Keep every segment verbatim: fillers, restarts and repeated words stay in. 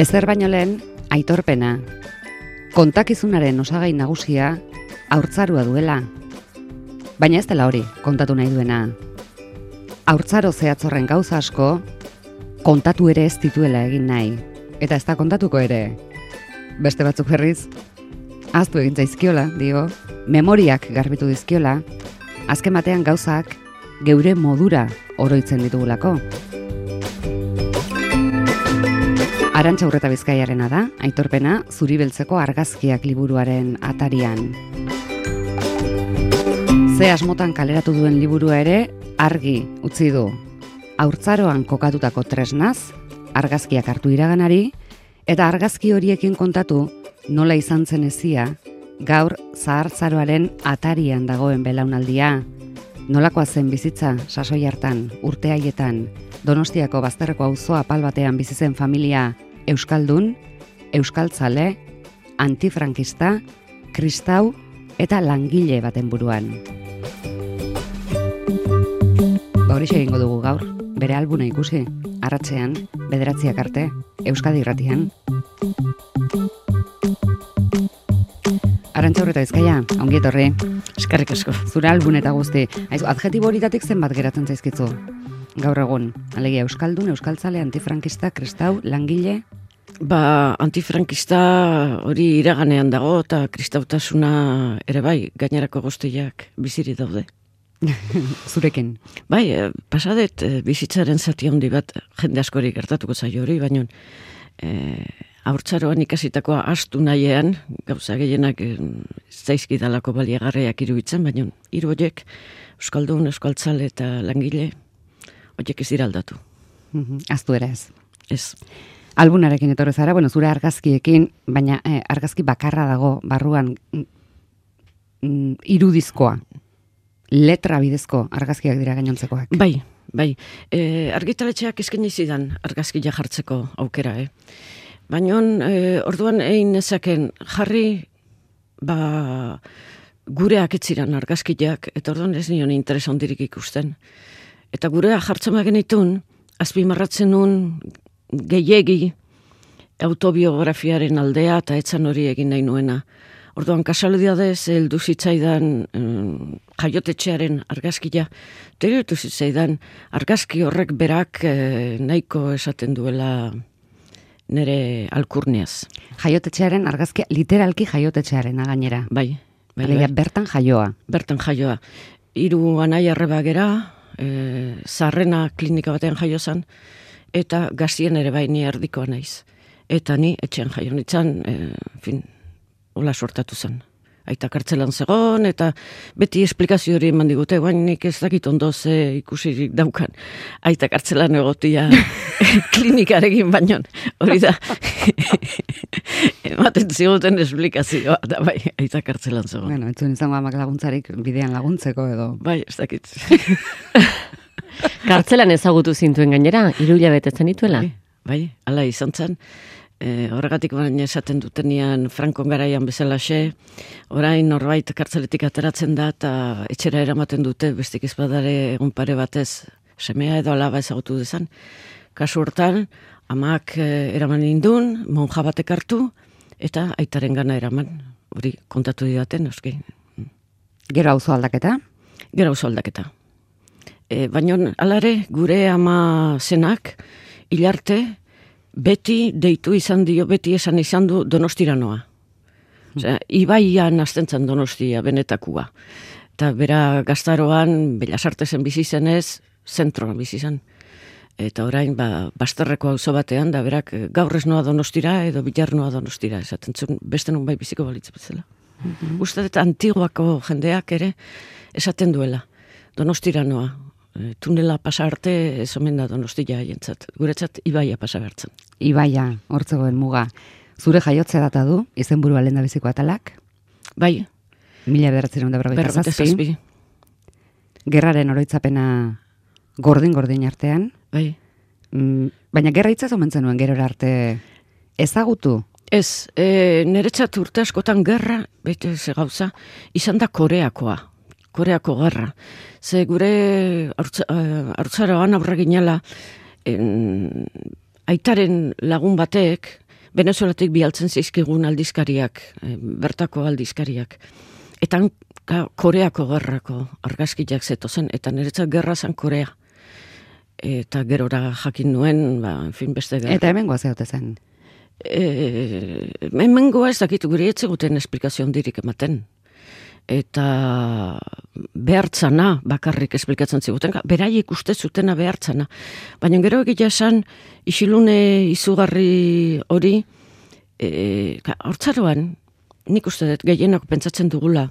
Ezer baino lehen, aitorpena. Kontakizunaren osagai nagusia haurtzarua duela. Baina ez dela hori, kontatu nahi duena. Haurtzaro zehatzorren gauza asko, kontatu ere ez dituela egin nahi. Eta ez da kontatuko ere. Beste batzuk berriz, ahaztu egin zaizkiola, dio, memoriak garbitu dizkiola, azken batean gauzak geure modura oroitzen ditugulako. Arantxa Urreta Bizkaiarena da, aitorpena, Zuri beltzeko argazkiak liburuaren atarian. Ze asmotan kaleratu duen liburua ere, argi utzi du. Haurtzaroan kokatutako tresnaz, argazkiak hartu iraganari, eta argazki horiekin kontatu nola izan zen ezia, gaur zahartzaroaren atarian dagoen belaunaldia. Nolakoa zen bizitza sasoi hartan, urte haietan, Donostiako bazterreko auzo apal batean bizi zen familia euskaldun, euskaltzale, antifrankista, kristau eta langile baten buruan. Ba horixe egingo dugu gaur, bere albuna ikusi, arratsean, bederatziak arte, Euskadi Irratian. Arantxa Urreta Bizkaia, ongi etorri. Eskerrik asko. Zure albun eta guzti. Aizu, adjetibo horitatik zenbat geratzen zaizkitzu? Gaur egun, alegia euskaldun, euskaltzale, antifrankista, kristau, langile? Ba, antifrankista hori iraganean dago eta kristautasuna ere bai, gainerako guztiak biziri daude. Zurekin? Bai, pasadet bizitzaren zati handi bat jende askori gertatuko zaio hori, baina e, haurtzaroan ikasitakoa astu nahian, gauza gehienak e, zaizkidalako baliagarriak iruditzen, baina hiru horiek, euskaldun, euskaltzale eta langile, horiek ez dira aldatu. Aztu ere ez. Ez. Albunarekin etorri zara, bueno, zure argazkiekin, baina eh, argazki bakarra dago barruan mm, irudizkoa, letra bidezko argazkiak dira gainontzekoak. Bai, bai. E, argitaletxeak eskaini zidan argazkia jartzeko aukera, eh? Baina e, orduan egin nezaken jarri ba, gureak etziran argazkiak, eta orduan ez nion interes handirik ikusten. Eta gurea jartzen bagenitun, azpimarratzen nun gehiegi autobiografiaren aldea eta etzan hori egin nahi nuena. Orduan, kasualidadez, heldu zitzaidan um, jaiotetxearen argazkia, teritu zitzaidan argazki horrek berak eh, nahiko esaten duela nire alkurneaz. Jaiotetxearen argazkia, literalki jaiotetxearen gainera. Bai, bai, Alegia, bai. bertan jaioa. Bertan jaioa. Hiru anai arreba gera, e, zarrena klinika batean jaio zan, eta gazien ere bai ni erdikoa naiz. Eta ni etxean jaio nintzen, e, fin, hola sortatu zen. Aita kartzelan zegoen, eta beti esplikazio hori eman digute, guain nik ez dakit ondo ze ikusirik daukan. Aita kartzelan egotia klinikarekin baino, hori da. Ematen ziguten esplikazioa, da bai, aita kartzelan zegoen. Bueno, etzuen izango amak laguntzarik bidean laguntzeko edo. Bai, ez dakit. Kartzelan ezagutu zintuen gainera, hiru hilabete zenituela? Bai, bai, hala izan zen. E, horregatik baina esaten dutenian Frankon garaian bezalaxe, orain norbait kartzeletik ateratzen da eta etxera eramaten dute, bestik ez badare egun pare batez semea edo alaba ezagutu dezan. Kasu hortan, amak e, eraman indun, monja batek hartu, eta aitaren gana eraman, hori kontatu didaten, euski. Gero auzo aldaketa? Gero auzo aldaketa. E, baina alare, gure ama zenak, hilarte, beti deitu izan dio, beti esan izan du Donostiranoa. Osea, ibaian aztentzen Donostia, benetakua. Eta bera gaztaroan, Belasartesen bizi zenez, zentroan bizi zen. Eta orain, ba, bazterreko auzo batean, da berak gaur ez noa Donostira edo bilar noa Donostira, esaten zuen, beste nun bai biziko balitz bezala. Mm-hmm. Uste dut antiguako jendeak ere esaten duela, Donostiranoa. Tunela pasa arte ez omen da Donostia haien,tzat. Guretzat ibaia pasa bertzen. Ibaia, hortzegoen muga. Zure jaiotze data du, izenburua lehendabiziko atalak? Bai. Mila bederatzerun da berrogeita zazpi. zazpi. Gerraren oroitzapena gordin-gordin artean. Bai. Mm, baina gerra hitzaz omentzen nuen gerora arte ezagutu? Ez, e, niretzat urte askotan gerra, bete ze gauza, izan da Koreakoa. Koreako gerra. Ze gure haurtzaroan aurra ginela, aitaren lagun batek Venezuelatik bialtzen zizkigun aldizkariak, e, bertako aldizkariak. Eta ka, Koreako gerrako argazkiak zetozen, eta niretzat gerra zan Korea. Eta gerora jakin nuen, ba, en fin, beste gerra. Eta hemen goazeote zen? E, hemen goa ez dakit gure etzeguten esplikazio dirik ematen. Eta behartzana bakarrik esplikatzen ziguten, beraiek uste zutena behartzana. Baina gero egia esan, isilune izugarri hori, e, hortzaroan, nik uste dut gehienak pentsatzen dugula,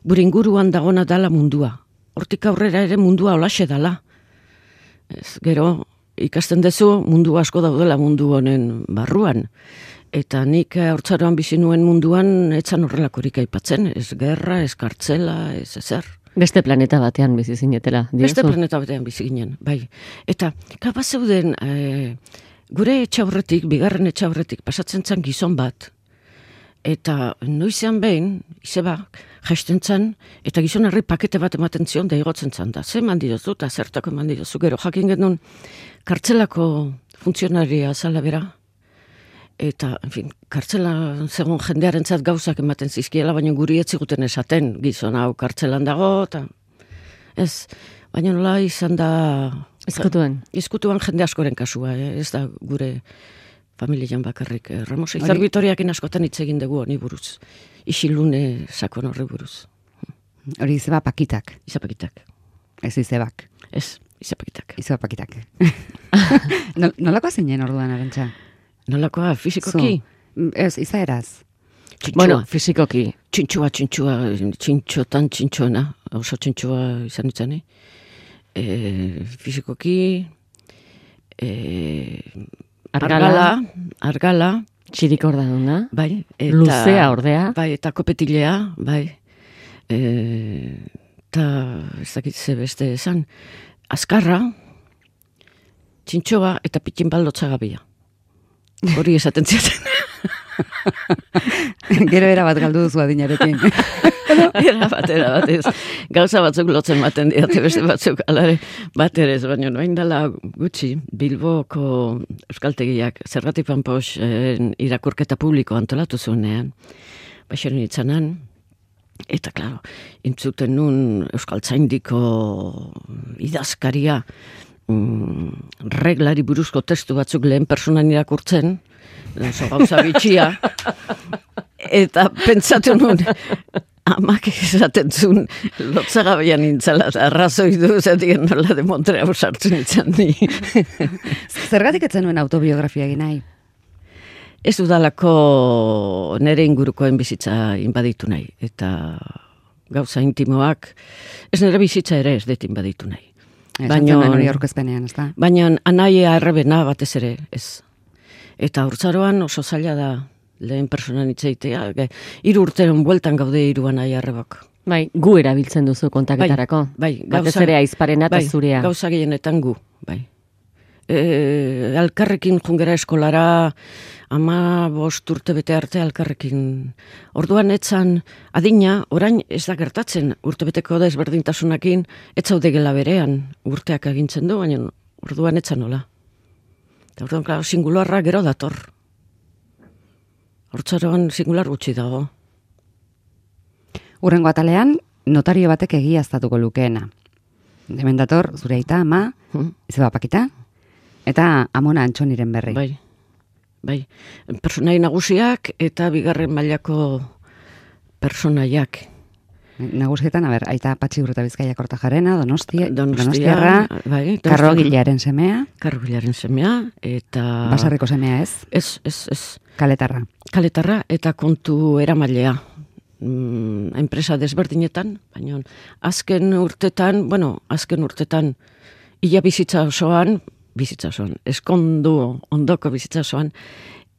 gure inguruan dagona dala mundua. Hortik aurrera ere mundua holaxe dala. Ez, gero, ikasten dezu mundu asko daudela mundu honen barruan. Eta nik hortzaroan bizi nuen munduan etzan horrelakorik aipatzen. Ez gerra, ez kartzela, ez ezer. Beste planeta batean bizi zinetela. Beste planeta batean bizi ginen, bai. Eta kapaz zeuden, e, gure etxaurretik, bigarren etxaurretik, pasatzen zen gizon bat, eta noizean behin, izebak, jaisten zen, eta gizon herri pakete bat ematen zion, da igotzen zen da. Ze eman didozu, eta zertako eman didozu, gero jakin genuen, kartzelako funtzionaria zala bera, eta, en fin, kartzela segun jendearen zat gauzak ematen zizkiela, baina guri etziguten esaten, gizon hau kartzelan dago, eta ez, baina nola izan da... Izkutuan. Izkutuan jende askoren kasua, eh? Ez da gure familian bakarrik. Eh? Ramos Izar Vitoriakin askotan hitz egin dugu honi buruz. Isilune sakon horri buruz. Hori izeba pakitak. Izapakitak. Ez izebak. Ez, izapakitak. Izeba pakitak. Nolako zinen orduan, Arantxa? Nolakoa, fizikoki? Ez, izaeraz. Txintxua. Bueno, fizikoki. Txintxua, txintxua, txintxotan txintxoena, oso txintxua izan itzani. E, fizikoki, e, Argala. argala, argala, Txirik orda duna. bai, eta, Luzea ordea. bai, eta kopetilea, bai, e, eta ez dakit ze beste esan, azkarra, txintxoa eta pitin baldotza gabia. Hori esaten ziaten. Gero era bat galdu duzu adinarekin. Era bat, era bat ez. Gauza batzuk lotzen baten diate, beste batzuk alare bat ere ez, baina noain dela gutxi, Bilboko euskaltegiak Zergatik Panpos irakurketa publiko antolatu zuenean, baxeren itzanan, eta, klaro, intzuten nun euskaltzaindiko idazkaria mm, reglari buruzko testu batzuk lehen personan irakurtzen, oso gauza bitxia, eta pentsatu nun, amak esaten zuen, lotzagabean nintzala, arrazoi du, zatien nola de Montreal sartzen nintzen ni. Zergatik etzen nuen autobiografia egin nahi? Ez dudalako nere ingurukoen bizitza inbaditu nahi, eta gauza intimoak, ez nere bizitza ere ez dut inbaditu nahi. Baina hori aurkezpenean, ez da? Baina anaia errebena batez ere, ez. Eta urtzaroan oso zaila da lehen personan itzeitea, hiru urteren bueltan gaude hiru anaia errebok. Bai, gu erabiltzen duzu kontaketarako. Bai, bai, batez ere aizparena eta bai, zurea. Gauza gehienetan gu, bai. E, alkarrekin jungera eskolara, ama bost urte bete arte alkarrekin. Orduan etzan adina, orain ez da gertatzen, urtebeteko da ezberdintasunakin, ez zaude gela berean, urteak agintzen du, baina orduan etzan nola. Eta orduan, klaro, singularra gero dator. Hortzaroan singular gutxi dago. Urrengo atalean, notario batek egiaztatuko lukeena. Hemen dator, zure aita, ama, Hmm? izeba pakita, eta Amona Antxoniren berri. Bai, bai. Personai nagusiak eta bigarren mailako personaiak. Nagusietan, a ber, aita Patxi Urreta Bizkaia Kortajarena, Donostia, Donostia, Donostiarra, bai, Karrogilaren semea, Karrogilaren semea, eta... Basarriko semea ez, Ez, ez, ez. Kaletarra. Kaletarra eta kontu eramailea. Mm, enpresa desberdinetan, baina azken urtetan, bueno, azken urtetan, ia bizitza osoan, bizitza osoan, eskondu ondoko bizitza osoan,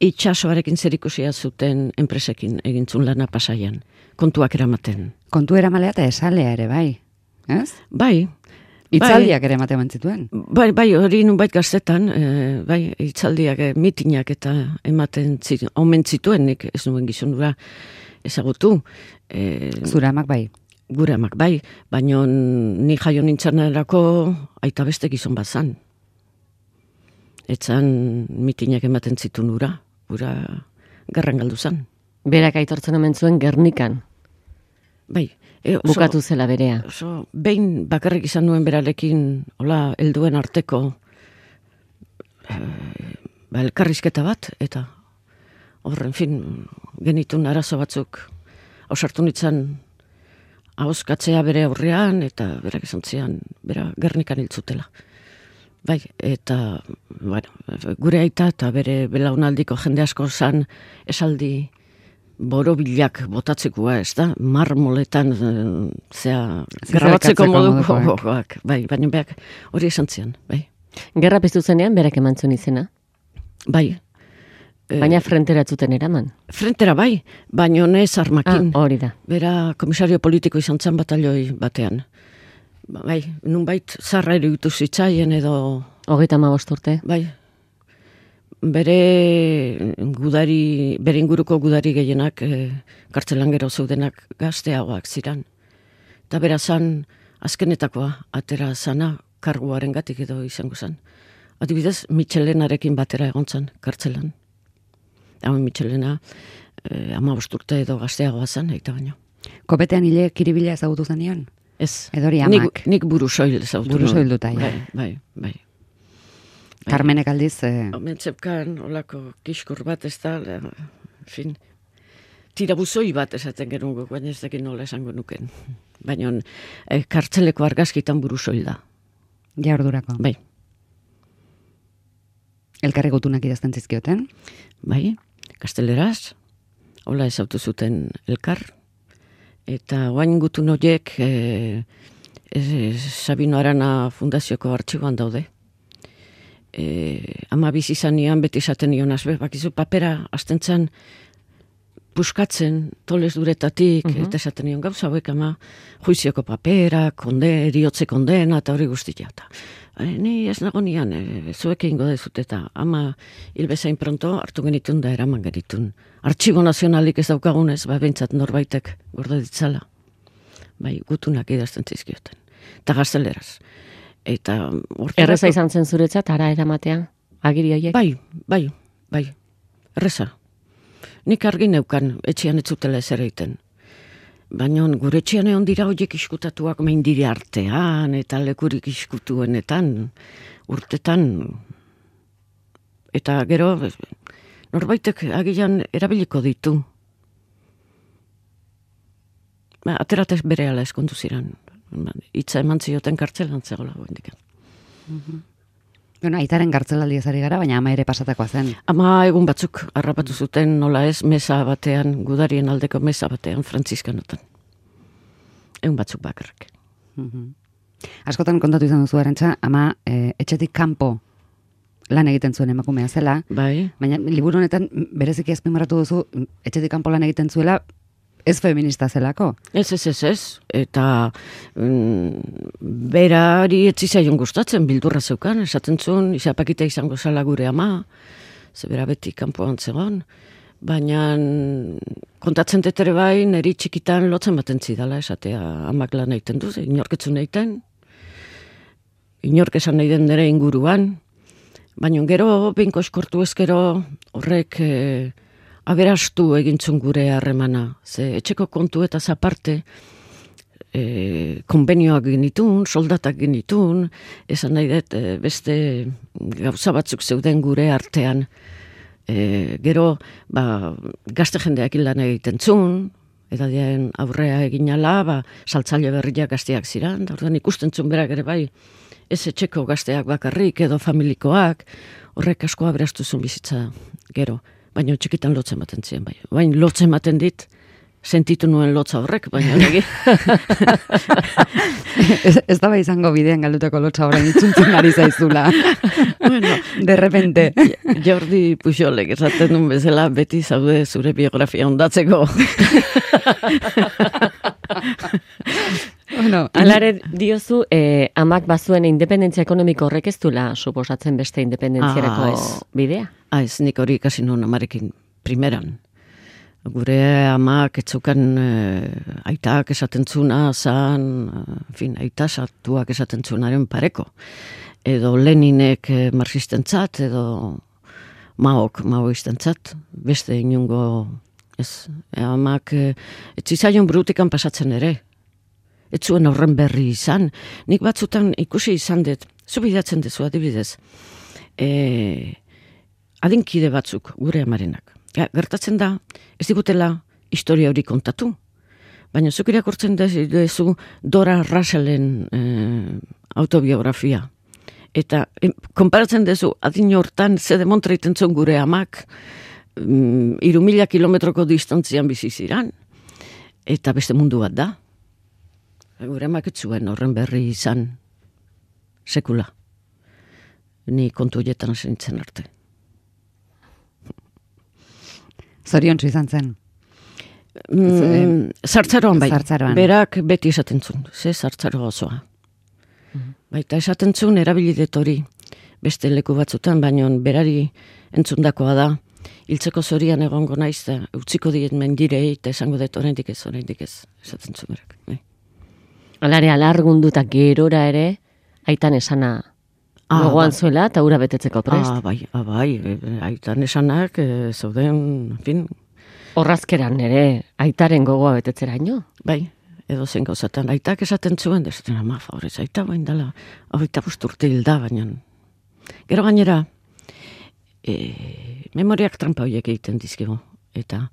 itxasoarekin zerikusia zuten enpresekin egintzun lana Pasaian, kontuak eramaten. Kontu eramalea eta esalea ere, bai. Ez? Bai, Itzaldiak ere ematen zituen. bai, bai, hori nunbait gaztetan, e, bai, itzaldiak, e, mitinak eta ematen zituen, omen zituen, nik ez nuen gizonura ezagutu. E, Zure amak bai. Gure amak, bai, baina ni jaio nintzanerako aita beste gizon bat zan. Etzan mitinak ematen zituen ura, gura gerran galdu zan. Berak aitortzen omen zuen Gernikan. Bai. E, oso, Bukatu zela berea. Oso, behin bakarrik izan nuen berarekin, hola, helduen arteko e, ba, elkarrizketa bat, eta horren fin, genitun arazo batzuk ausartu nintzen ahoskatzea bere aurrean, eta berak esan zian, bera Gernikan hiltzutela. Bai, eta, bueno, gure aita eta bere belaunaldiko jende asko zan esaldi borobilak botatzekoa, ez da? Marmoletan, zea, grabatzeko moduko gogoak, bai, baina beak hori esan zian, bai. Gerra piztu zenean, berak emantzun izena? Bai. Baina frentera zuten eraman? Frentera bai, baina ez armakin. Ah, hori da. Bera komisario politiko izan zen batalioi batean. Bai, nunbait zarra eruditu zitzaien edo... Hogeita hamabost urte. Bai. Bere gudari, bere inguruko gudari gehienak e, kartzelan gero zeudenak gazteagoak ziran. Eta bera zan, azkenetakoa, atera zana, karguaren gatik edo izango zan. Adibidez, Michelenarekin batera egon zan, kartzelan. Hau Michelena, e, hamabost urte edo gazteagoa zan, eta baino. Kopetean hile kiribila ezagutu zenion? Ez. Edori amak. Nik, nik burusoil ezagutu. Burusoil duta, ja. Bai, bai, bai. Carmenek aldiz... Eh... Omentzepkan, olako kiskur bat ez da, fin, tirabuzoi bat esaten genuen, baina ez dakin nola esango nuken. Baina eh, kartzeleko argazkitan burusoil da. Ja ordurako. Bai. Elkarri gutunak idazten zizkioten? Bai, gazteleraz, hola ezautu zuten elkar, eta oain gutun horiek eh, eh, Sabino Arana Fundazioko artxiboan daude. Eh, ama bizi zanean beti esaten nion azbe, bakizu papera astentzan puskatzen toles duretatik, uh-huh. Eta esaten nion gauza hauek ama juizioko papera, konde, eriotze kondena, eta hori guztia. E, ni ez nago nian, e, zuek egingo dezut, eta ama hilbezain pronto hartu genitun da eraman genitun. Artxibo nazionalik ez daukagunez, ba bentsat norbaitek gorde ditzala. Bai, gutunak idazten zizkioten. Eta gazteleraz. Eta erreza izan zen zuretzat, ara eramatea, agiri horiek? Bai, bai, bai, erreza. Nik argi neukan, etxean ez zutela ezer egiten. Baina gure etxean egon dira horiek iskutatuak meindire artean, eta lekurik iskutuenetan, urtetan. Eta gero, norbaitek agian erabiliko ditu. Ba, ateratez bere ala eskondu ziren. Itza eman zioten kartzelan zegoela goendik. Mm-hmm. Bueno, aitaren kartzelaldi ezari gara, baina ama ere pasatakoa zen. Ama egun batzuk harrapatu zuten nola ez mesa batean, gudarien aldeko mesa batean, Frantziskanotan. Egun batzuk bakarrik. Mm-hmm. Askotan kontatu izan duzu Arantxa, ama e, etxetik kanpo lan egiten zuen emakumea zela, bai. Baina liburu honetan bereziki azpimarratu duzu etxetik kanpo lan egiten zuela, ez feminista zelako. Ez, ez, ez, ez. Eta mm, berari etzizaion gustatzen, bildurra zeukan, esaten zuen, izapakita izango zala gure ama, ze bera beti kanpoan zegoen, baina kontatzen detere bai, neri txikitan lotzen baten zidala, esatea amak lan egiten duz, inorketzun egiten, inork esan nahi den dere inguruan, baina gero, binko eskortu ezkero, horrek... E, aberastu egintzun gure harremana. Ze etxeko kontu eta zaparte e, konbenioak genitun, soldatak genitun, esan nahi dut e, beste gauza batzuk zeuden gure artean. E, gero, ba, gazte jendeak lan egiten zun, edadien aurrea eginala, ba, saltzaile berriak gazteak ziran, da orduan ikusten zun berak ere bai, ez etxeko gazteak bakarrik edo familikoak, horrek asko aberastu zun bizitza gero. Baina txikitan lotzen baten ziren, bai. Baina lotzen baten dit, sentitu nuen lotza horrek, baina negi. ez, ez da bai izango bidean galdutako lotza horrein itzuntzen ari zaizula. Bueno, de repente. Jordi Pujolek esaten duen bezala, beti zaude zure biografia ondatzeko. Bueno, alare diozu, eh, amak bazuen independentzia ekonomiko horrek ez duela suposatzen beste independentziarako ah, bidea? Ah, ez, nik hori ikasi nuen amarekin primeran. Gure amak etzukan eh, aitak esaten zuna, zan, en fin, aita sartuak esaten zunaren pareko. Edo Leninek eh, marxistentzat, edo maok, maoistentzat, beste inungo, ez, amak, e, etzizaion brutikan pasatzen ere, ez zuen horren berri izan, nik batzutan ikusi izan dut, zu bidatzen dezu adibidez, e, adinkide batzuk, gure amarenak, ja, gertatzen da, ez digutela historia hori kontatu, baina zuk irakurtzen dezu Dora Rusellen e, autobiografia. Eta e, konparatzen dezu adin hortan ze demontra itentzun gure amak mm, iru mila kilometroko distantzian bizi ziran. Eta beste mundu bat da. Gure amak ez zuen horren berri izan sekula. Ni kontu horietan zentzen arte. Zoriontsu izan zen. Mm, zartzaroan bai, Zartzaroan. berak beti esaten zuen, ze zartzaro osoa. Mhm. Baita esaten zuen erabilidet hori beste leku batzutan, baina berari entzundakoa da, hiltzeko zorian egongo naiz, da utziko diet mendirei, eta esango dut oraindik ez, oraindik ez, esaten zuen berak. Bai. Alare alargunduta gerora ere, aitan esana Ah, gogoan ba. zuela, eta ura betetzeko prest. Ah, bai, ah, bai, e, aitan esanak, e, zauden, en fin, Horrazkeran ere, aitaren gogoa betetzeraino. bai, edo zen gauzatan, aitak esaten zuen, desaten ama, favorez, aita bain dela, hogeita bost urte hilda, baina. Gero gainera, e, memoriak trampa horiek egiten dizkigu, eta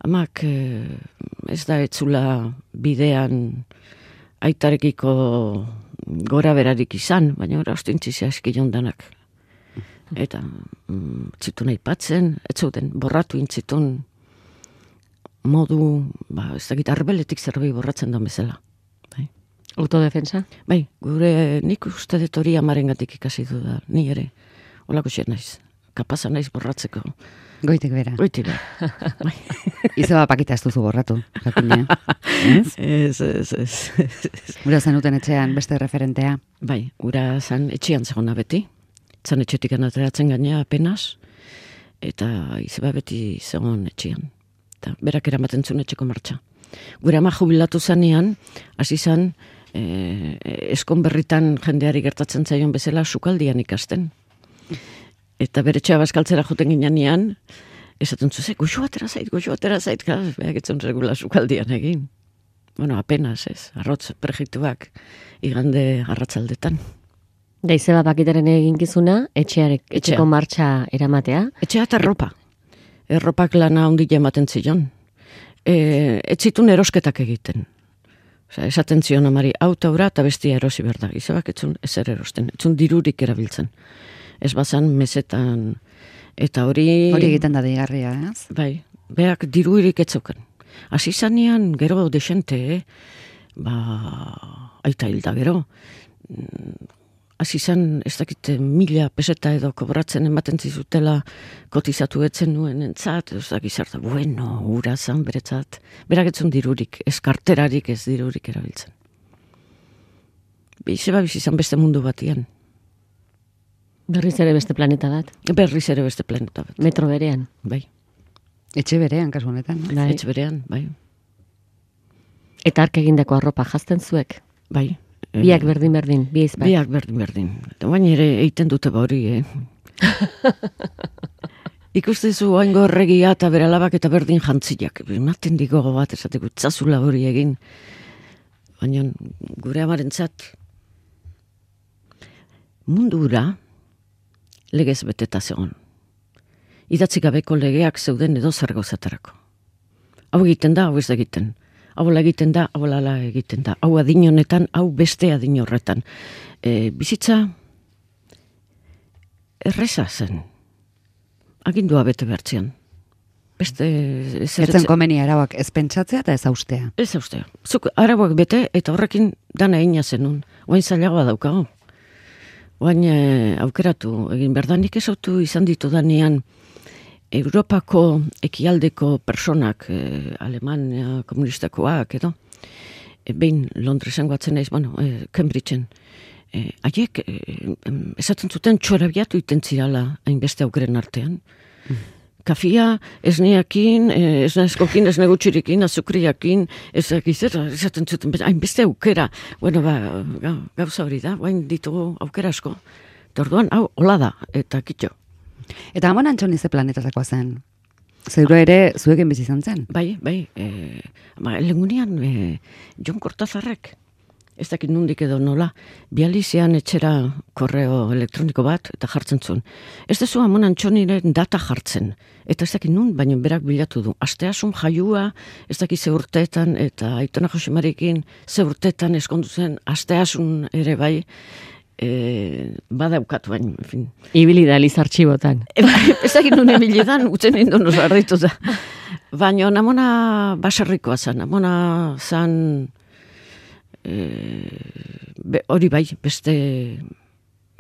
amak e, ez da etzula bidean aitarekiko gora berarik izan, baina ora ostintzizia eskion danak. Eta mm, zitun aipatzen, ez zuten, borratu intzitun, modu, ba, ez dakit, arbeletik zerbait borratzen da bezala. Bai. Autodefensa? Bai, gure nik uste dut hori amarengatik ikasi du da, ni ere, holako xe naiz, kapaza naiz borratzeko. Goitik bera. Goiti behar. Bai. Izeba pakita ez duzu borratu, jakina. Ez? Ez, ez, ez. Gura zenuten etxean beste referentea. Bai, gura zan etxean zegona beti, zan etxetik ateratzen gaina apenas, eta izeba beti zegoen etxean. Eta berak eramaten zuen etxeko martxa. Gure ama jubilatu zanean, hasi zan, e, eskon berritan jendeari gertatzen zaion bezala sukaldian ikasten. Eta bere etxea bazkaltzera joten ginean, esaten zuze, goxo atera zait, goxo atera zait, behak etzun regula sukaldian egin. Bueno, apenas ez, arrotz prejituak igande arratzaldetan. Da izeba pakitaren eginkizuna, etxearek, etxeko Etxea. martxa eramatea. Etxea eta erropa. Erropak lana handi ematen zion. E, ez zitun erosketak egiten. Osea, esaten zion amari, autaura eta bestia erosi behar da. Izabak etzun ezer erosten, etzun dirurik erabiltzen. Ez bazan mesetan, eta hori... Hori egiten da deigarria, ez? Bai, beak dirurik etzoken. Hasi zanean, gero desente, eh? ba, aita hilda gero, hasi zan, ez dakite, mila peseta edo kobratzen ematen zizutela kotizatu etzen nuen entzat, ez dakit zerta, bueno, ura zan beretzat, berak etzun dirurik, ez karterarik ez dirurik erabiltzen. Bizeba bizizan beste mundu batian. Berriz ere beste planeta bat. Berriz ere beste planeta bat. Metro berean. Bai, Etxe berean, kasu honetan. Bai. etxe berean, bai, Eta ark egindako arropa jazten zuek. bai. Biak berdin-berdin, bi izpak. Biak berdin-berdin. Eta baina ere egiten dute ba hori, eh? Ikustezu oaingo erregia eta bere alabak eta berdin jantziak. Ematen digo bat, esateko, itzazula hori egin. Baina gure amarentzat mundura legez beteta zegoen. Idatzi gabeko legeak zeuden edo zer gauzatarako. Hau egiten da, hau ez da egiten. Hau egiten da, hau lala egiten da. Hau adin honetan, hau beste adin horretan. E, bizitza erreza zen. Agindua bete bertzean. Beste... Etzen komeni arauak ez pentsatzea eta ez austea. Ez austea. Zuk arauak bete eta horrekin dana egina zenun. Oain zailagoa daukago. Oain e, aukeratu egin berdanik ez autu izan ditu danean Europako ekialdeko personak, eh, Alemania komunistakoak edo, e, behin Londresen guatzen naiz, bueno, e, Cambridgeen, e, haiek e, esaten zuten txorabiatu iten zirala hainbeste aukeren artean. Mm. Kafia, esneakin, eh, esnazkokin, esnegutxirikin, azukriakin, ezakizer, esaten zuten, hainbeste aukera. Bueno, ba, gauza hori da, bain ditugu aukera asko. Eta orduan, hau, hola da, eta kitxo. Eta Amon Antxoni ze planetatakoa zen? Zeuro ere zuekin bizi izan zen? Bai, bai, e, ba, legunean e, Jon Kortazarrek, ez dakit nundik edo nola, bializean etxera korreo elektroniko bat, eta jartzen zuen. Ez dezu Amon Antxoniren data jartzen, eta ez dakit nun, baina berak bilatu du. Asteasun jaiua, ez dakit ze urteetan, eta Aitona Josemarikin ze urteetan eskondu zen, asteasun ere bai, e, badaukatu bain, en fin. Ibili da liz artxibotan. E, ez dakit nun ebilidan, utzen nindu nos arditu da. Baina Amona baserrikoa zen, Amona zan... E, be, hori bai, beste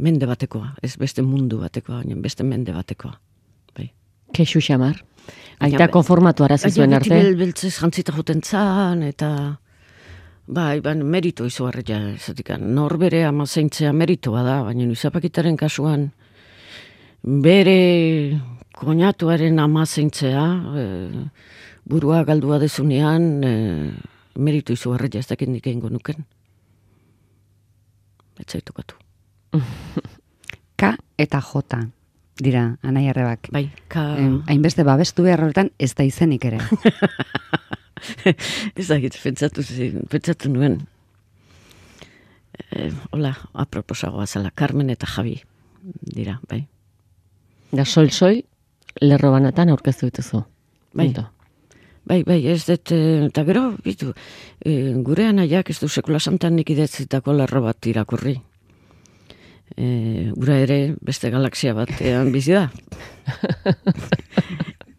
mende batekoa, ez beste mundu batekoa, baina beste mende batekoa. Bai. Kexu xamar. Aita konformatu arazi zuen arte. Beti beltzez jantzita joten zan, eta bai, ban, merito izugarria, ezatik, norbere ama zeintzea meritoa da, baina izapakitaren kasuan bere koñatuaren ama zeintzea, e, burua galdua dezunean, e, meritu izugarria ez dakit nik egingo nuken. Etzaitokatu. K eta J dira, Anai Arrebak. Bai, K... Hainbeste babestu behar horretan ez da izenik ere. Ez dakit, pentsatu, pentsatu nuen. E, hola, aproposagoa zela, Carmen eta Javi dira, bai. Da sol-sol, lerro banatan aurkeztu dituzu. Bai. Bai, bai, ez dut, eta gero, bitu, e, gure anaiak ez du sekula santan nik idatzitako lerro bat irakurri. E, gura ere beste galaxia batean bizi da.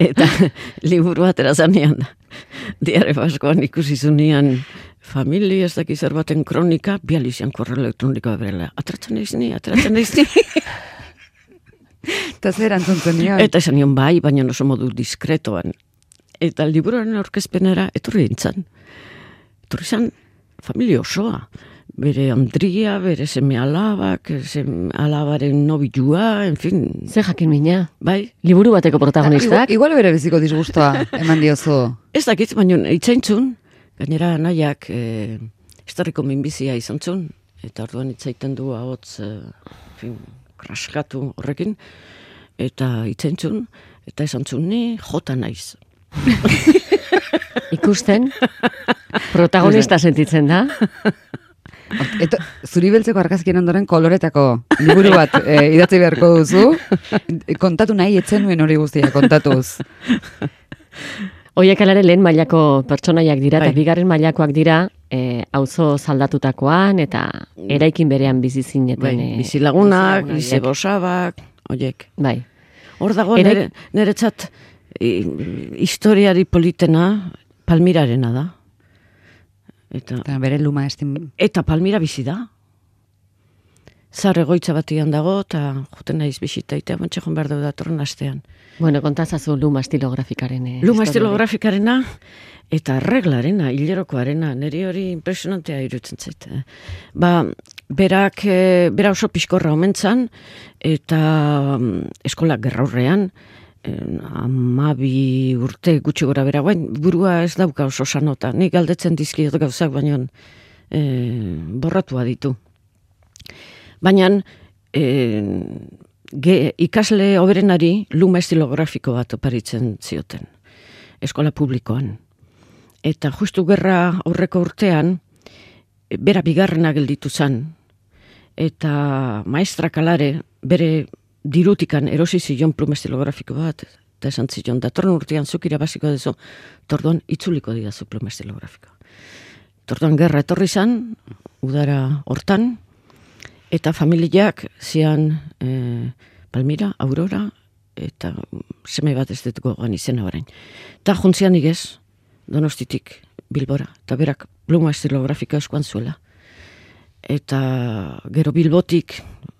Eta liburu bat erazanean da. Diare Baskoan ikusi zunean famili ez dakiz baten kronika, bializian korreo elektronikoa berela. Atratzen eiz ni, atratzen eiz ni. Eta zer antzuntzen nion? Eta esan nion bai, baina oso modu diskretoan. Eta liburuaren aurkezpenera etorri dintzen. Etorri zen familia osoa. Bere Andria, bere seme alabak, seme alabaren nobilua, en fin. Ze jakin mina. Bai. Liburu bateko protagonistak. Igual, igual bere biziko disgustoa eman diozu. Ez dakit, baina itzaintzun, gainera nahiak e, historiko minbizia izan zun, eta orduan itzaiten du ahotz, e, fin, kraskatu horrekin, eta itzaintzun, eta esan zun ni jota naiz. Ikusten, protagonista sentitzen da. Eta zuri beltzeko argazkien ondoren koloretako liburu bat e, idatzi beharko duzu. Kontatu nahi etzen nuen hori guztia, kontatuz. Oiek alare lehen mailako pertsonaiak dira, Bai. eta bigarren mailakoak dira, e, auzo saldatutakoan, eta eraikin berean bizi zineten. Bai, e, bizilagunak, bizilagunak, bizebosabak, oiek. Bai. Hor dago Eraik- nere, neretzat i, historiari politena Palmirarena da. Eta, Eta bere luma estim... eta Palmira bizi da. Zar egoitza batian dago, eta joten naiz bisitaitea, bantxe joan behar dugu datorren astean. Bueno, kontazazu luma estilografikaren. E, Luma historia. estilografikarena eta reglarena, hilerokoarena, niri hori impresionantea irutzen zait. eh. Ba, berak, e, bera oso pixkorra omentzan, eta mm, eskola gerraurrean, amabi urte gutxi gora bera, guain, burua ez dauka oso sanota. Nik galdetzen dizkiot gauzak, baina e, borratua ditu. Baina e, ge, ikasle oberenari luma estilografiko bat oparitzen zioten, eskola publikoan. Eta justu gerra aurreko urtean, bera bigarrena gelditu zen, eta maestrak alare bere dirutikan erosi zion pluma estilografiko bat, eta esan zion, datorren urtean zuk irabaziko dezu, torduan itzuliko didazu pluma estilografiko. Torduan gerra etorri zan, udara hortan, eta familiak zian e, Palmira, Aurora, eta seme bat ez dut gogoan izena orain. Eta juntzian igez, Donostitik Bilbora, eta berak pluma estilografika eskuan zuela. Eta gero Bilbotik,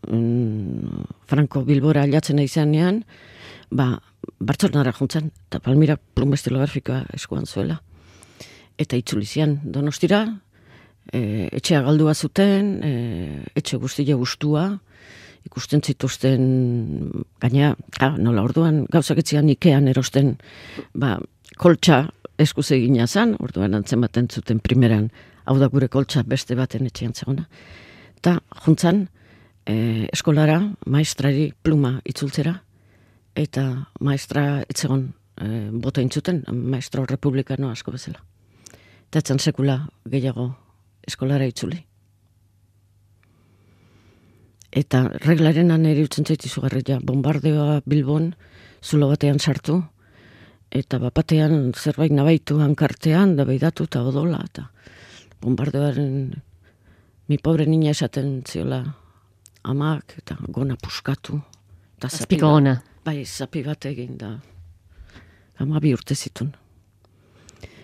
mm, Franco Bilbora aldatzen izanean, ba, Bartzelonara juntzen, eta Palmira pluma estilografikoa eskuan zuela. Eta itzulizian Donostira, e, etxea galdua zuten, e, etxe guztia gustua, ikusten zituzten, gaina, ja, nola orduan, gauzak etzian Ikean erosten, ba, koltsa eskuz egina zan, orduan antzen baten zuten primeran, hau da gure koltsa beste baten etxean zegona. Eta juntzan, e, eskolara, maestrari pluma itzultzera, eta maestra etzegon e, bota intzuten, maestro republikano asko bezala. Eta etzan sekula gehiago eskolara itzuli. Eta reglaren aneri utzen zaiti zugarria, bombardeoa Bilbon zulo batean sartu, eta bapatean zerbait nabaitu hankartean, da beidatu eta odola, eta bombardeoaren mi pobre niña esaten ziola amak, eta gona puskatu. Azpiko gona. Bai, zapi bat egin da. Ama bi urte zitun.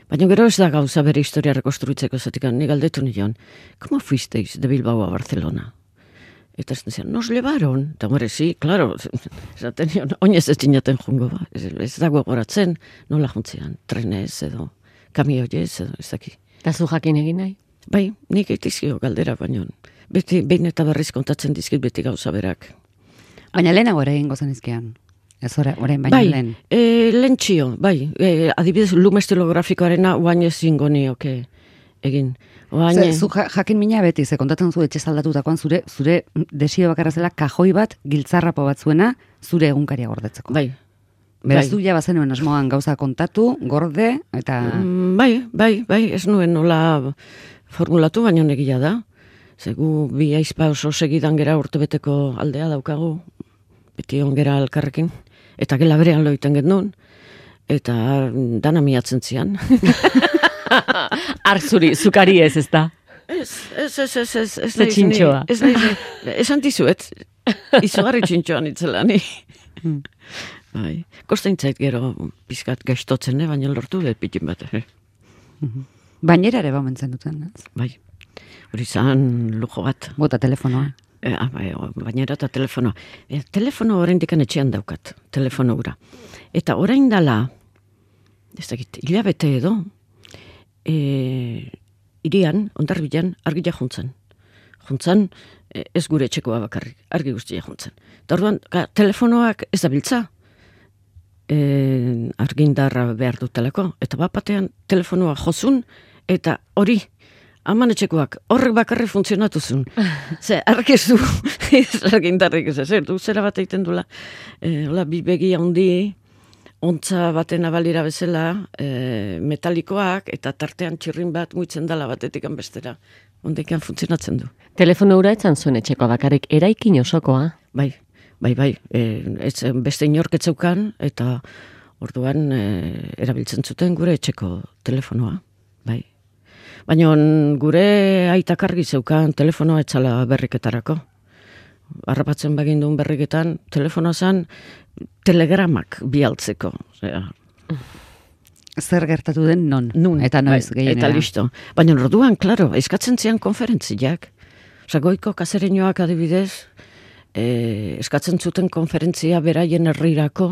Baina gero ez da gauza bere historia rekonstruitzeko zatik, ni galdetu nion, ¿cómo fuisteis de Bilbao a Barcelona? Eta ez decían, nos llevaron. Eta gore, sí, claro, esaten nion, oinez ez dinaten jungo, ba. Ez, ez dago goratzen, nola juntzean, trenez edo, kamioiez edo, ez daki. Eta zu jakin egin nahi? Bai, nik eitizio galdera, baino, beti, behin eta berriz kontatzen dizkit beti gauza berak. Baina lehenago ere egingo zenizkian. Ez orain baina bai, lehen. E, lehen txio, bai. E, adibidez, lume estilografikoarena oain ez zingo nioke egin. Oain... Ze, zu jakin mina beti, ze kontatzen zu etxe zaldatutakoan zure, zure desio bakarra zela kajoi bat, giltzarrapo bat zuena, zure egunkaria gordetzeko. Bai. Beraz bai. du ja bazenuen asmoan gauza kontatu, gorde, eta... Mm, bai, bai, bai, ez nuen nola formulatu, baina negia da. Zegu bi aizpa oso segidan gera urtebeteko aldea daukagu, beti ongera alkarrekin. Eta gela berean loiten genuen, eta dana miatzen zian. Arzuri, zukari ez, ez da? Ez, ez, ez, ez, ez, ez, Ze txintxoa. Ez nahi, esan dizuet, izugarri txintxoan itzela ni. Bai, kostein zait gero pizkat gaiztotzen, eh? Baina lortu dut pitin bat. Eh? Bainera ere baumentzen duten, ez? Bai, hori zan lujo bat. Bota telefonoa. E, ah, bai, bainera eta telefono. E, telefono oraindik etxean daukat, telefono gura. Eta orain dala, ez dakit, hilabete edo, e, irian, ondarbilan, argia juntzen. Juntzen, e, ez gure etxekoa bakarrik, argi guztia juntzen. Eta orduan, ka, telefonoak ez da biltza, e, argindarra behar dutelako, eta bapatean telefonoa jozun, eta hori, aman etxekoak, horrek bakarri funtzionatu zuen. Ze, arkezu, ez argindarrik ez, ez, du zera bat egiten dula, e, hola, bi begi handi, ontza baten abalira bezala, e, metalikoak, eta tartean txirrin bat muitzen dala batetik bestera. Ondekan funtzionatzen du. Telefono hura etzan zuen etxekoa bakarrik, eraikin osokoa? Bai, bai, bai, e, ez, beste inorketzeukan, eta orduan e, erabiltzen zuten gure etxeko telefonoa, bai. Baina gure aitak argi zeukan telefonoa etzala berriketarako. Harrapatzen bagin duen berriketan, telefonoa zen telegramak bialtzeko. Osea, Zer gertatu den non, nun, eta noiz bai, gehienera. eta listo. Baina orduan, klaro, eskatzen zian konferentziak. Osa, goiko kasereñoak adibidez, e, eskatzen zuten konferentzia beraien herrirako,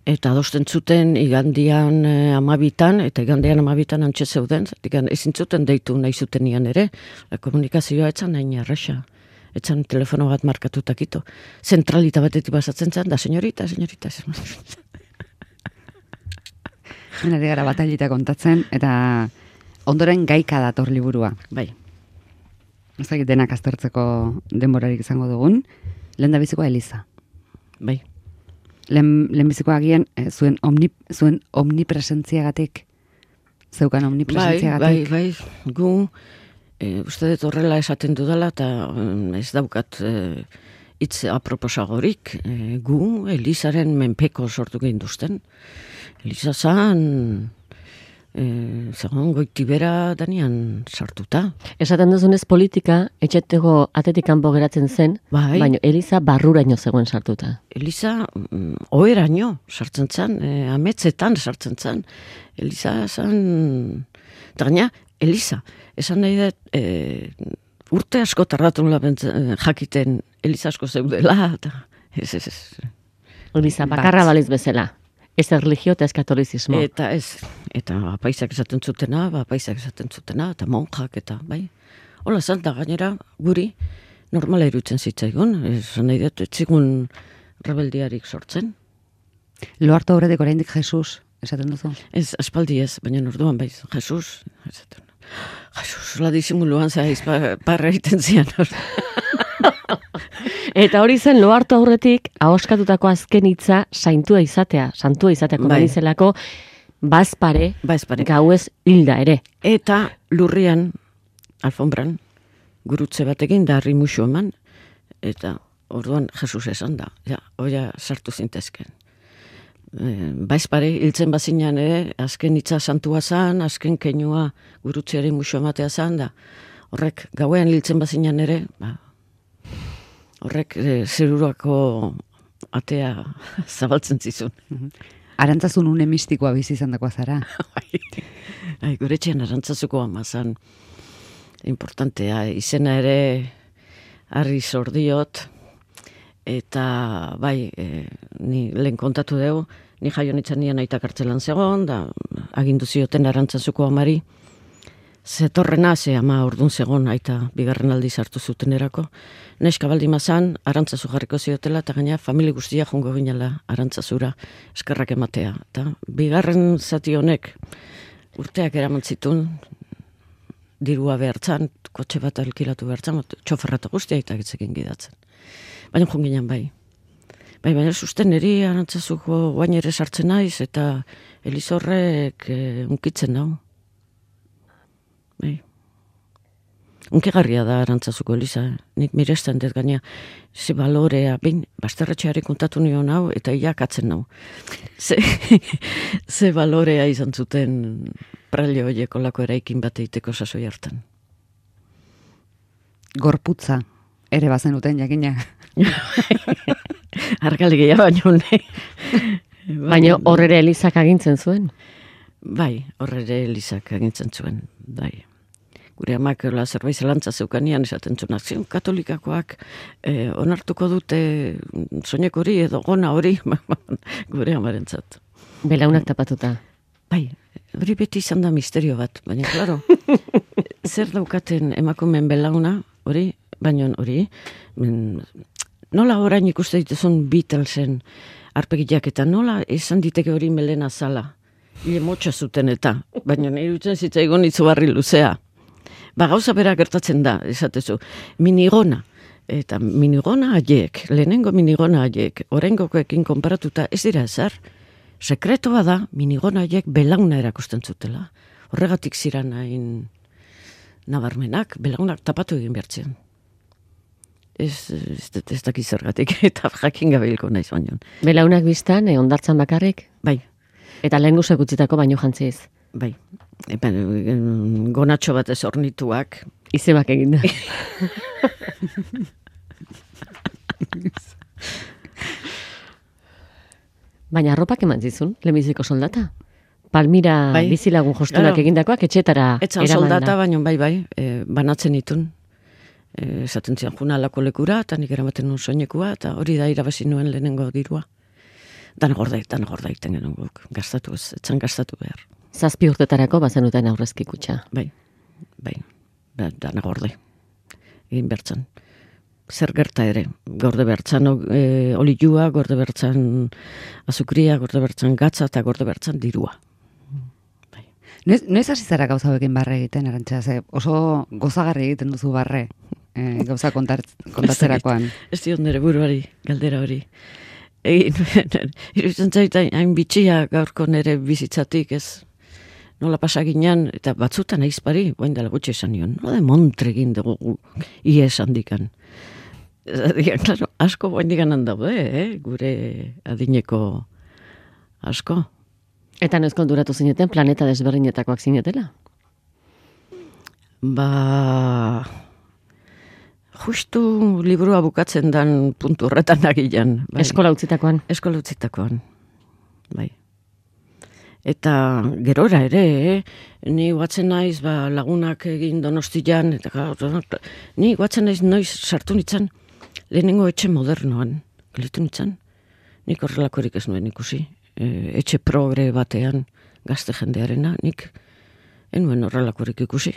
eta adosten zuten igandian e, amabitan, eta igandian amabitan antxe zeuden, ezin zuten deitu nahi zutenian ere, la komunikazioa etzan nahi erresa. Etzan telefono bat markatutakito. Zentralita batetik basatzen zen, da senyorita, senyorita. Henari gara batailita kontatzen, eta ondoren gaika dator liburua. Bai. Ez dakit denak aztertzeko denborarik izango dugun. Lehen da bizikoa Eliza. Bai. Lehen, lehen bizikoa agian, eh, zuen, omni, zuen omnipresentziagatik, zeukan Bai, omnipresentziagatik. bai, bai. Gu, e, uste dut horrela esaten dudala, eta mm, ez daukat e, hitz aproposagorik. E, gu, Elizaren menpeko sortu ginduzten. Eliza zan, e, zegoen goitibera danian sartuta. Esaten duzunez politika, etxetego atetik kanpo geratzen zen, Bai. baina Eliza barruraino zegoen sartuta. Eliza, mm, oheraino sartzen zen, e, ametzetan sartzen zen. Eliza zan, eta gaina, Eliza, esan nahi dut, e, urte asko tardatu nula bentzen, jakiten Eliza asko zeudela, eta ez, ez, ez. Eliza bakarra baliz bezala. Ez erligio eta ez katolizismo. Eta ez, eta apaisak esaten zutena, apaisak esaten zutena, eta monjak, eta bai. Hola, zalta gainera, guri, normala irutzen zitzaigun, esan nahi dut, etzigun rebeldiarik sortzen. Lo hartu aurretik oraindik Jesus, esaten duzu. Ez, aspaldi ez, baina orduan bai, Jesus, esaten. Jesus, la disimuluan zaiz, parra egiten zian. Eta hori zen lo hartu aurretik, ahoskatutako azken hitza saintua izatea, santua izatea, Bai. komenizelako, bazpare, Bazpare. gauez hilda ere. Eta lurrian, alfombran, gurutze batekin da harri musu eman, eta orduan Jesus esan da, ja, oia sartu zintezken. E, Baizpare, hiltzen bazinan ere, azken hitza santua zan, azken keinua gurutzeari musu ematea zan, da horrek gauean hiltzen bazinan ere, ba, horrek e, zerurako atea zabaltzen zizun. Arantzazun une mistikoa bizi izan dakoa zara. Ai, gure etxean arantzazuko ama zan, importantea, izena ere harri zordiot, eta bai, e, ni lehen kontatu dugu, ni jaio nintzen nien aita kartzelan zegoen, da agindu zioten arantzazuko amari, zetorrena, ze ama ordun zegoen aita bigarren aldiz hartu zuten erako, neska baldi mazan, arantzazu jarriko ziotela, eta gaina familia guztia jongo ginela arantzazura eskerrak ematea. Eta bigarren zati honek urteak eraman zitun, dirua behartzan, kotxe bat alkilatu behartzan, txoferrata guztia eta gitzekin gidatzen. Baina jonginan bai. Bai, baina susten eri arantzazuko guain ere sartzen naiz, eta Elizorrek e, unkitzen nau. Bai. Unkigarria da arantzazuko Eliza. Nik miresten dut gaina, ze balorea, bain, basterretxeari kontatu nion hau, eta iakatzen nau. Ze, ze balorea izan zuten praile horiek olako eraikin bat egiteko sasoi hartan. Gorputza, ere bazenuten jakina. Argalegia baino ne. Baina horrere Elizak agintzen zuen. Bai, horrere Elizak agintzen zuen, bai. Gure amak la zerbait zelantza zeukanian esaten zuen, zion katolikakoak eh, onartuko dute soinek hori edo gona hori, gure amarentzat. Belaunak tapatuta. Bai, hori beti izan da misterio bat, baina, klaro, zer daukaten emakumeen belauna, hori, baina hori, men, nola orain ikuste dituzun Beatlesen arpegiak eta nola esan diteke hori melena zala. Ile motxa zuten eta, baina nire utzen zitzaigun itzubarri luzea. Ba, gauza bera gertatzen da, esatezu, minigona. Eta minigona haiek, lehenengo minigona haiek, oraingokoekin konparatuta ez dira ezer. Sekretoa da, minigona haiek belauna erakusten zutela. Horregatik ziran hain nabarmenak, belaunak tapatu egin behartzen. Ez, ez, ez dakiz zergatik, eta jakin gabeilko naiz baino. Belaunak biztan, e, ondartzan bakarrik? Bai. Eta lehen guzek utzitako baino jantziz? Bai. Epen, gonatxo bat ez ornituak. Izebak eginda. Baina arropak eman zizun, lehenbiziko soldata? Palmira bai. Bizilagun jostunak claro. Egindakoak etxetara Etzan soldata, baina bai, bai, e, banatzen itun. E, esaten zian juna alako lekura, eta nik eramaten nuen soinekua, eta hori da irabazi nuen lehenengo dirua. Dan gordait, dan gordait, tengen guk, gastatu ez, etzan gastatu behar. Zazpi urtetarako bazenuten aurrezki kutxa. Bai, bai, dan gordai, egin bertzan. Zer gerta ere, gorde bertzan e, olilua, gorde bertzan azukria, gorde bertzan gatza, eta gorde bertzan dirua. Bai. Noiz, noiz hasi zara gauza hauekin barre egiten, Arantxa, ze oso gozagarri egiten duzu barre, e, gauza kontar, kontatzerakoan. Ez diot nire buruari, galdera hori. Egin, iruditzen zait, hain bitxia gaurko nire bizitzatik, ez nola pasaginan, eta batzutan aizpari, guain dela gutxe esan nion, no de montre egin dugu ies handikan. Digan, claro, asko guain diganan daude, eh? Gure adineko asko. Eta noiz konturatu zineten planeta desberdinetakoak zinetela? Ba... Justu liburua bukatzen dan puntu horretan agilan. Bai. Eskola utzitakoan? Eskola utzitakoan, bai. Eta gerora ere, eh? Ni guatzen naiz ba, lagunak egin Donostian, eta ni guatzen naiz noiz sartu nitzan lehenengo etxe modernoan, gelitu nitzan. Nik horrelakorik ez nuen ikusi. E, etxe progre batean gazte jendearena, nik enuen horrelakorik ikusi.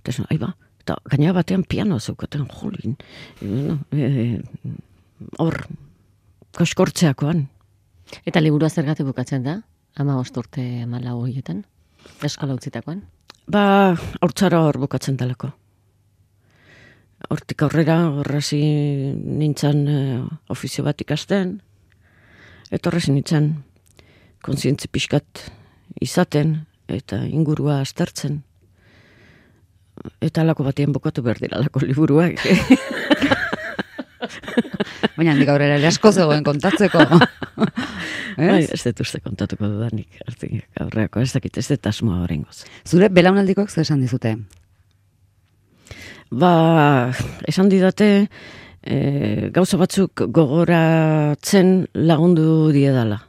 Eta ez, aiba, eta gaina batean pianoa zeukaten, jolin. Hor, e, koskortzeakoan. Eta liburua zergatik bukatzen da? Ama osturte amalau horietan? Eskola utzitakoan? Ba, haurtzara hor bukatzen daleko. hortik aurrera, horrazi nintzen eh, ofizio bat ikasten, eta horrazi nintzen kontzientzi pixkat izaten, eta ingurua aztertzen. Eta alako batien bokatu behar dira alako liburuak. Baina handik aurrera ere asko zegoen kontatzeko. Bai, ez dut uste kontatuko dudanik. Artik aurreako ez dakit, ez dut asmoa horrengoz. Zure belaunaldikoak zer esan dizute? Ba, esan didate, e, gauza batzuk gogoratzen lagundu diedala.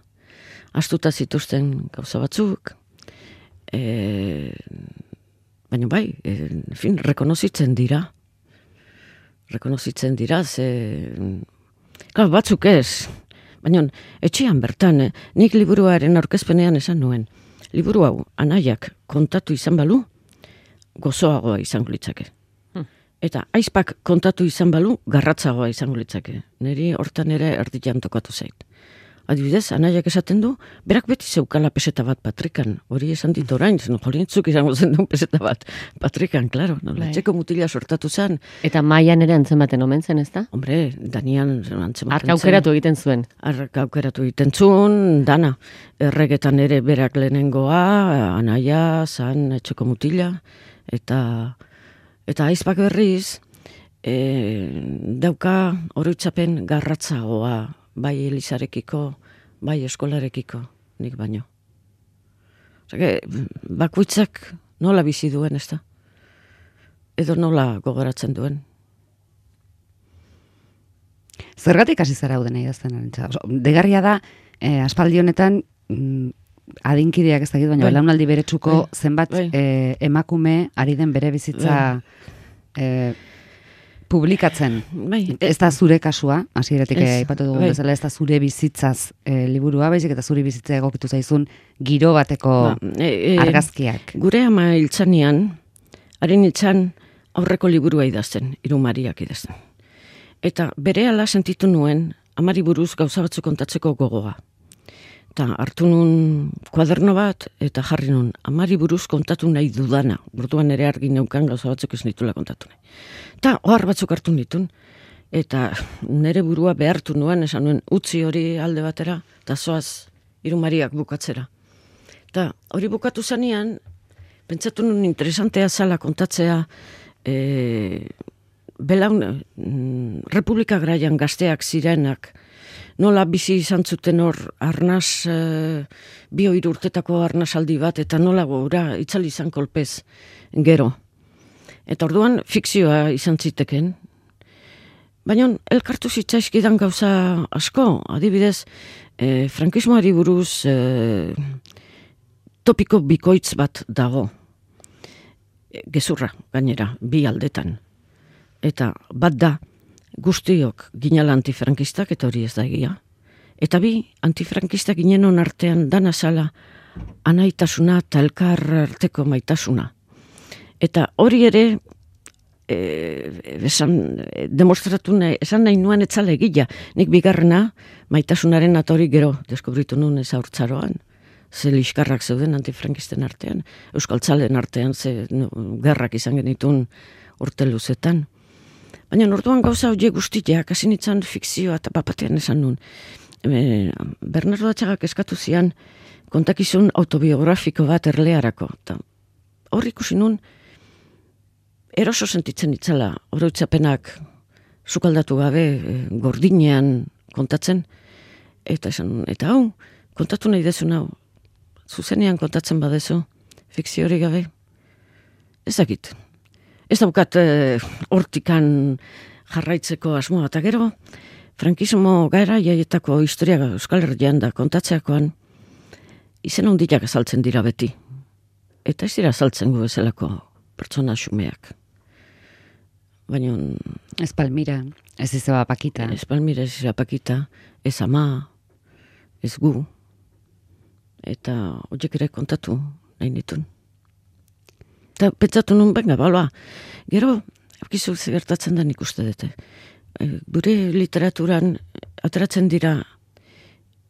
Astuta zituzten gauza batzuk, e, baina bai, e, en fin, rekonozitzen dira. Rekonozitzen dira, ze... Klar, batzuk ez. Baina, etxean bertan, eh, nik liburuaren aurkezpenean esan nuen. Liburu hau, anaiak kontatu izan balu, gozoagoa izango litzake. Hmm. Eta aizpak kontatu izan balu, garratzagoa izango litzake. Neri hortan ere erditan tokatu zait. Adibidez, anaiak esaten du, berak beti zeukala peseta bat patrikan. Hori esan dit orain, zen jolintzuk izango zen duen peseta bat patrikan, klaro. No? Txeko mutila sortatu zen. Eta maian ere antzematen omen zen, ez da? Hombre, Danian antzematen zen. Arka aukeratu egiten zuen. Arka aukeratu egiten zuen, dana. Erregetan ere berak lehenengoa, anaia, zan, etxeko mutila. Eta, eta aizpak berriz, e, dauka oroitzapen garratzagoa, bai Elisarekiko, bai eskolarekiko, nik baino. Osake, bakoitzak nola bizi duen, ez da? Edo nola gogoratzen duen. Zergatik hasi zara uden idazten arintza? Degarria da, eh, aspaldi honetan, mm, adinkideak ez dakit, baina belaunaldi beretsuko bai. zenbat bai. Eh, emakume ari den bere bizitza... Eh, publikatzen. Bai. Ez da zure kasua, hasieratik aipatu dugu bai. bezala, ez da zure bizitzaz e, liburua, baizik eta zure bizitza egokitu zaizun giro bateko ba, e, e, argazkiak. Gure ama hiltzanean, haren hiltzan aurreko liburua idazten, Irumariak idazten. Eta berehala sentitu nuen, amari buruz gauza batzuk kontatzeko gogoa. Eta hartu nun kuaderno bat, eta jarri nun, amari buruz kontatu nahi dudana. Orduan ere argi neukan gauza batzuk ez nitula kontatu nahi. Eta ohar batzuk hartu nitun, eta nire burua behartu nuen, esan nuen, utzi hori alde batera, eta zoaz Irumariak bukatzera. Eta hori bukatu zanean, pentsatu nun interesantea zala kontatzea, e, belaun, Republika Garaian gazteak zirenak, nola bizi izan zuten hor arnaz, e, bi hiru urtetako arnazaldi bat, eta nola gora itzali izan kolpez gero. Eta orduan fikzioa izan ziteken. Baina elkartu zitzaizkidan gauza asko, adibidez, e, frankismoari buruz e, topiko bikoitz bat dago. E, gezurra, gainera, bi aldetan. Eta bat da, guztiok ginala antifrankistak, eta hori ez da egia. Eta bi, antifrankistak ginenon artean dana zala anaitasuna eta elkar arteko maitasuna. Eta hori ere, e, esan, demostratu nahi, esan nahi nuen etzale egia. Nik bigarrena, maitasunaren atori gero, deskubritu nuen ez haurtzaroan. Ze liskarrak zeuden antifrankisten artean, euskaltzalen artean, ze no, gerrak izan genitun urte luzetan. Baina orduan gauza horiek guztiak, hasi nintzen fikzioa eta papatean esan nun. E, Bernardo Atxagak eskatu zian kontakizun autobiografiko bat erlearako. Ta, hor ikusi nun, eroso sentitzen itzala, oroitzapenak sukaldatu gabe, e, gordinean kontatzen, eta esan, eta hau, kontatu nahi dezu hau, zuzenean kontatzen badezu, fikzio hori gabe, ez dakit. Ez daukat e, hortikan jarraitzeko asmoa, eta gero, frankismo gara jaietako historia Euskal Herrian da kontatzeakoan, izen handiak azaltzen dira beti. Eta ez dira azaltzen gu bezalako pertsona xumeak. Baina... Ez Palmira, ez izaba Pakita. Ez Palmira, ez izaba Pakita, ez ama, ez gu. Eta horiek ere kontatu nahi nitun. Eta pentsatu nun, benga, balba, gero, ekizu gertatzen da nik uste dute. Gure literaturan ateratzen dira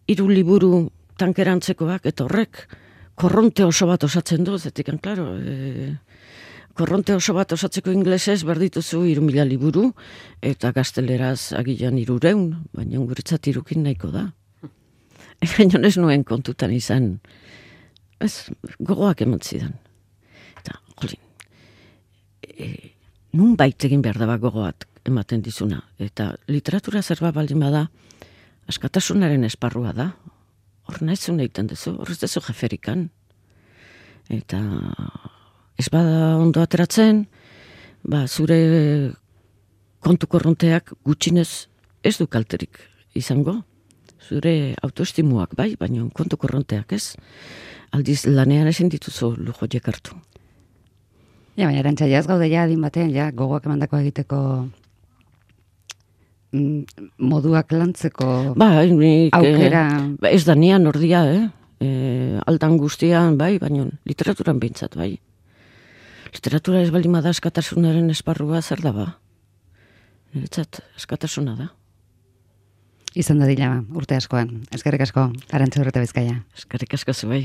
hiru liburu tankerantzekoak, eta horrek korronte oso bat osatzen du, zetik, klaro, e, korronte oso bat osatzeko inglesez berdituzu hiru mila liburu, eta gazteleraz agian hirureun, baina guretzat hirukin nahiko da. Baina ez nuen kontutan izan, ez, gogoak eman zidan. Eta, jolin, e, nun bait egin behar daba gogoat ematen dizuna. Eta literatura zerba baldin bada, askatasunaren esparrua da. Hor nahizun egiten duzu, hor ez duzu jeferikan. Eta ez bada ondo ateratzen, ba, zure kontu korronteak gutxinez ez du kalterik izango. Zure autoestimuak bai, baina kontu korronteak ez. Aldiz lanean ezin dituzu lujoiek hartu. Ja, baina erantza jaz gaude ja adin batean, ja, gogoak emandako egiteko mm, moduak lantzeko ba, nik, aukera. Eh, ez da nian ordia, eh? E, aldan guztian, bai, baina literaturan behintzat, bai. Literatura ez baldin bada askatasunaren esparrua zer da ba? Niretzat askatasuna da. Izan da dila, urte askoan. Eskerrik asko, Arantxa Urreta Bizkaia. Eskerrik asko zu bai.